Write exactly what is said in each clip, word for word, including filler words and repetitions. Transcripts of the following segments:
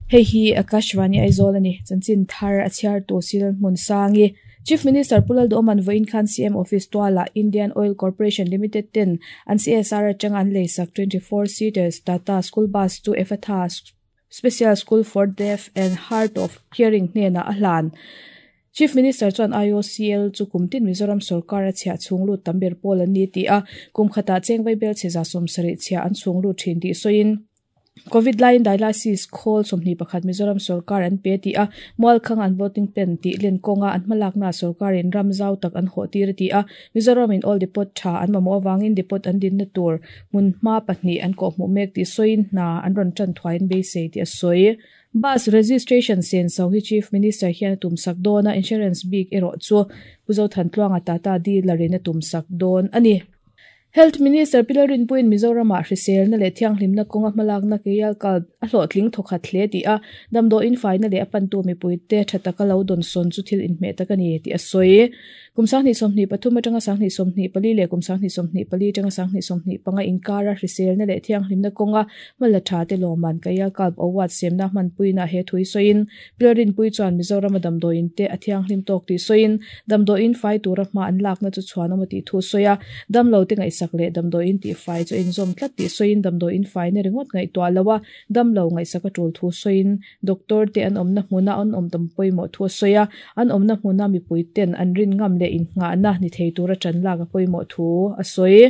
Hei hi Akashvani Aizawl ani chanchin thar a chhiar tu sil hmun sangi Chief Minister Pulal Doman voin khan C M Office tuala Indian Oil Corporation Limited ten an C S R atang an leisak twenty-four seaters Tata School Bus to Efatha Special School for Deaf and Hard of Hearing hnena a hlan. Chief Minister chuan I O C L chu kumtin Mizoram sarkar a chhia chhunglu tamber pol an ni ti a kumkhata chengvai bel cheza somsari chhia an chhunglu thin ti soin COVID line dialysis khol somni pakhat Mizoram sarkar an pe ti a mual khang an voting pen ti len konga an malak na sarkar in ramzau tak an ho tir ti a Mizoram in all depot tha an mamo wangin depot an din na tur mun ma pahni an ko mu mek ti soin na an ron chan thwain be se ti a soi bus registration sen so hi Chief Minister hian tumsak dona insurance big ero chu puzo than tluanga tata dealer in tumsak don ani. Health Minister Pilarin Puin Mizoram a hrisel na le thianghlim na konga hmalak na keyal kal a hlawhtling thawkhat hle ti a damdaw in fai na le a pantu mipuite thataka lo don son chu thil in hmeh tak ani ti a sawi kum sanghnih sawmhnih pathum atanga sanghnih sawmhnih pali le kum sanghnih sawmhnih pali atanga sanghnih sawmhnih panga inkara hrisel na le thianghlim na konga hmala tha te lawman keyal kal award semna hmanpui na he thui sawiin Pilarin Pui chuan Mizoram a damdaw in te a thianghlim tawk ti sawiin damdaw in fai tura hma an lak na chu chhuan awm ti thu sawi a damlo te ngai sak le damdaw in ti fai chu in zom tlat ti soin damdaw in fai na ringot ngai to alawa damlo ngai saka tul thu soin doctor te an omna hmuna an om tam poimo thu soya an omna hmuna mi puiten an rin ngam le in nga na ni thei tura chan la ka poimo thu a soi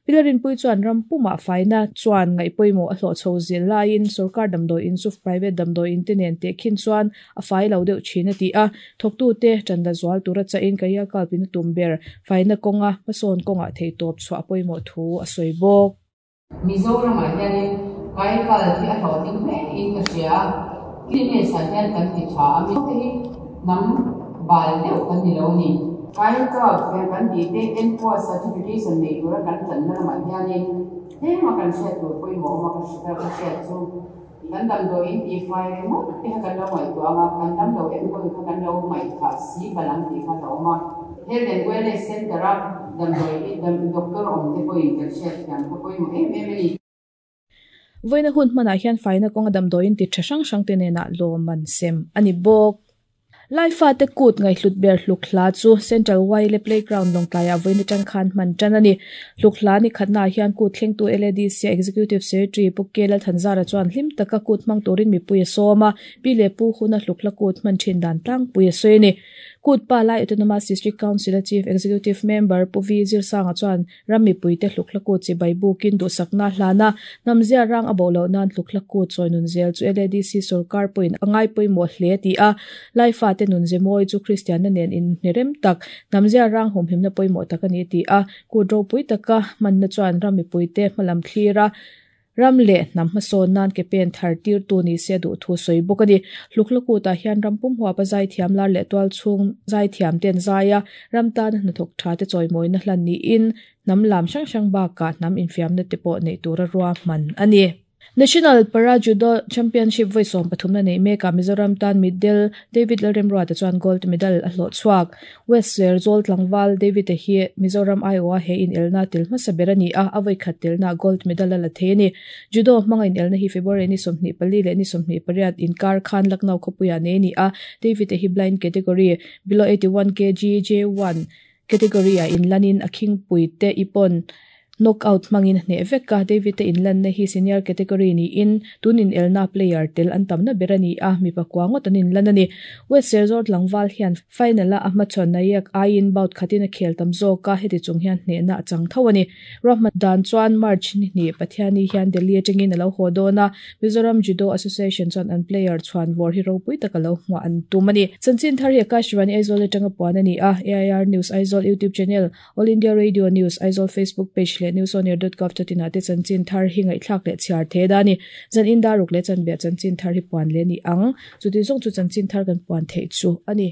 Pilarin Pui chuan rampuma faina chuan ngai poimo a hlo chho zil lain sarkar damdaw in chu private damdaw in te nen te khin chuan a fai lo deuh thina ti a thoktu te chanda zual tura cha in kaya kalpin tumber faina konga mason konga thei top chwa poimo thu a soi bok Mizoram a hianin kai kal hi a hlo ting me in ka hria cleanliness ah hian kan ti tha a mi te hi nam bal deuh kan ni lo ni kai kal kan ti te N four certification nei tura kan chan na ma hianin he ma kan hriat tur pawimawh ma ka hriat ka hriat chu kan damdaw in ti fai ringawt te kha kan lo ngaihtuah anga kan damlo enkawl kha kan lo ngaihthah si balang tih kha lo awm a Health and Wellness Center a damdawi doctor awm te pawhin kan hriat thiam kha pawimawh em em ani. Voina hun hmanah hian faina kawnga damdawi in ti tha hrang hrang te nena lawman sem ani bawk. Lai fa te kut ngai hlut ber hluk hla chu Central Wile Playground longtlaiah voina tang khan hman tan ani hluk hla ni khatna hian kut thleng tu L A D C Executive Secretary Pukela Thanzara chuan hlim taka kut hmang turin mipui a sawma pi le pu huna hluk hla kut hman thin dan tlang pui a sawi ani kut pa lai Autonomous District Council Chief Executive Member Puvi Zirsanga chuan rammi puite hluk hla kut chi bai bukin du sakna hlana namzia rang abo lo nan hluk hla kut chawi zel chu L A D C sarkar point angai pawimawh hle ti a lai fa te nun zemoi chu Christian na nen in nirem tak namzia rang hum himna pawimawh tak ani ti a kut ropui taka manna chuan rammi puite hmalam thlira ramle nam hmasawn nan ke pen thar tir tu ni se du thu soi bawk ani hluklaku ta hian rampum huwa pa zai thiam lar le tual chhung zai thiam ten zaia ramtan hnathawk tha te chawimawi na hlan ni in nam lam hrang hrang bakah nam infiam na te pawh nei tura rua hman ani. National Para Judo Championship voi sawm pathum na nei meka Mizoram tan middle David Lalremruata te chuan gold medal a hlawh chhuak West Serzawl tlangval David te hi Mizoram Iowa he in elna tel hmasa ber ani a a voi khat telna gold medal a la thei ani judo hmanga in elna hi February ni sawmhnih pali leh ni sawmhnih pariat inkar khan Lucknow khawpuia nei ani a David te hi blind category below eighty-one kilograms J one category a inlanin a khingpui te ipon knockout mangin hne vekka David te inlan na hi senior category ni in tunin elna player tel an tamna berani a mi pakwangot an inlan ani West Serzawl tlangval hian final a hmachhawn na yak aiin bout khatin a khel tam zawk a heti chung hian hne na chang tho ani Rahmat dan chuan March ni ni Pathiani hian Delhi atangin alo haw dawn a Mizoram Judo Association chuan an player chuan war hi ropui taka lo hmuah an tum ani chanchin thar hi Akashvani Aizawl atanga puan ani a A I R News Aizawl YouTube channel All India Radio News Aizawl Facebook page le news on air dot gov dot in ate chanchin thar hi ngai thlak le chhiar the dani zan in daruk le chan be chanchin thar hi puan le ni ang chuti zong chu chanchin thar kan puan thei chu ani.